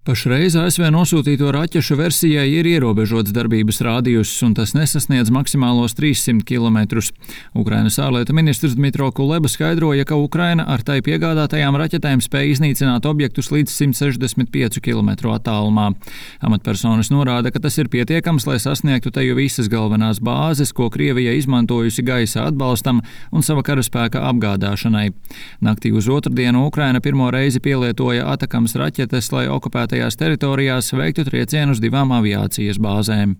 Pašreiz ASV nosūtīto raķešu versijai ir ierobežots darbības rādijus, un tas nesasniedz maksimālos 300 km. Ukrainas ārlietu ministrs Dmitro Kuleba skaidroja, ka Ukraina ar tai piegādātajām raķetēm spēj iznīcināt objektus līdz 165 km attālumā. Amatpersonas norāda, ka tas ir pietiekams, lai sasniegtu teju visas galvenās bāzes, ko Krievija izmantojusi gaisa atbalstam un sava karaspēka apgādāšanai. Naktī uz otrdienu Ukraina pirmo reizi pielietoja Atakams raķetes, lai okupētajās teritorijās veiktu triecienu uz 2 aviācijas bāzēm.